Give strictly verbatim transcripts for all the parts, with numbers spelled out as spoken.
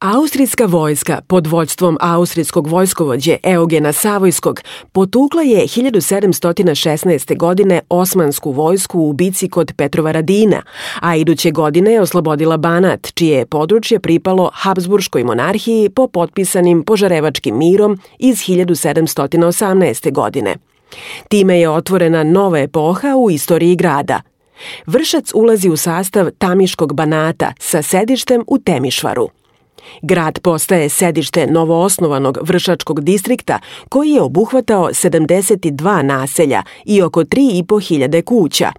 Austrijska vojska pod vođstvom austrijskog vojskovođe Eugena Savojskog potukla je hiljadu sedamsto šesnaeste. godine osmansku vojsku u bici kod Petrovaradina, a iduće godine je oslobodila Banat, čije je područje pripalo Habsburškoj monarhiji po potpisanim Požarevačkim mirom iz hiljadu sedamsto osamnaeste. godine. Time je otvorena nova epoha u istoriji grada. Vršac ulazi u sastav Tamiškog Banata sa sedištem u Temišvaru. Grad postaje sedište novoosnovanog Vršačkog distrikta koji je obuhvatao sedamdeset dva naselja i oko tri i po hiljade kuća.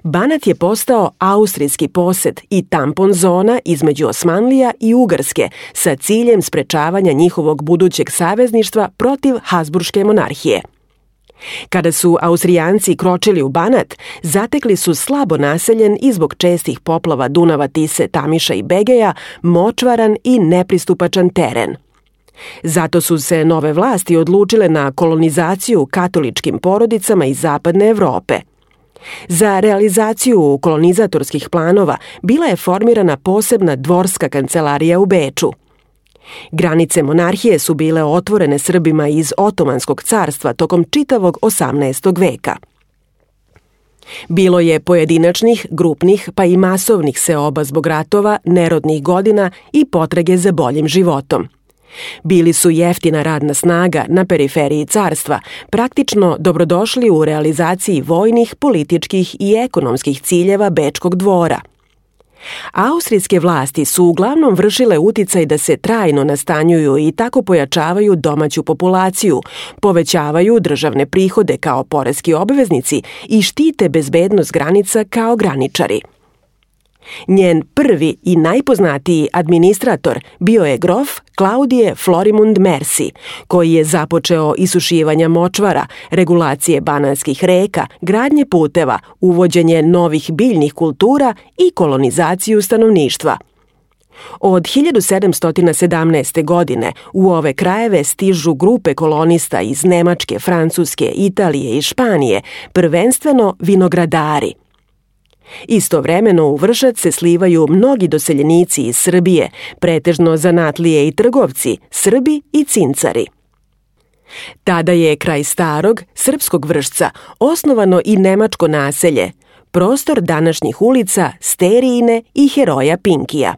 Banat je postao austrijski posed i tampon zona između Osmanlija i Ugarske sa ciljem sprečavanja njihovog budućeg savezništva protiv Habsburške monarhije. Kada su Austrijanci kročili u Banat, zatekli su slabo naseljen i zbog čestih poplava Dunava, Tise, Tamiša i Begeja močvaran i nepristupačan teren. Zato su se nove vlasti odlučile na kolonizaciju katoličkim porodicama iz zapadne Evrope. Za realizaciju kolonizatorskih planova bila je formirana posebna dvorska kancelarija u Beču. Granice monarhije su bile otvorene Srbima iz Otomanskog carstva tokom čitavog osamnaestog. veka. Bilo je pojedinačnih, grupnih pa i masovnih seoba zbog ratova, nerodnih godina i potrage za boljim životom. Bili su jeftina radna snaga na periferiji carstva, praktično dobrodošli u realizaciji vojnih, političkih i ekonomskih ciljeva Bečkog dvora. Austrijske vlasti su uglavnom vršile uticaj da se trajno nastanjuju i tako pojačavaju domaću populaciju, povećavaju državne prihode kao poreski obveznici i štite bezbednost granica kao graničari. Njen prvi i najpoznatiji administrator bio je grof Klaudije Florimund Mersi, koji je započeo isušivanja močvara, regulacije banatskih reka, gradnje puteva, uvođenje novih biljnih kultura i kolonizaciju stanovništva. Od hiljadu sedamsto sedamnaeste. godine u ove krajeve stižu grupe kolonista iz Nemačke, Francuske, Italije i Španije, prvenstveno vinogradari. Istovremeno u Vršac se slivaju mnogi doseljenici iz Srbije, pretežno zanatlije i trgovci, Srbi i cincari. Tada je kraj starog, srpskog Vršca, osnovano i nemačko naselje, prostor današnjih ulica Sterijine i Heroja Pinkija.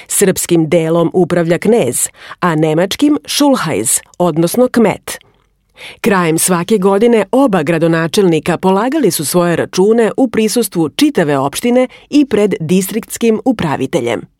Srpskim delom upravlja knez, a nemačkim Šulhajz, odnosno kmet. Krajem svake godine oba gradonačelnika polagali su svoje račune u prisustvu čitave opštine i pred distriktskim upraviteljem.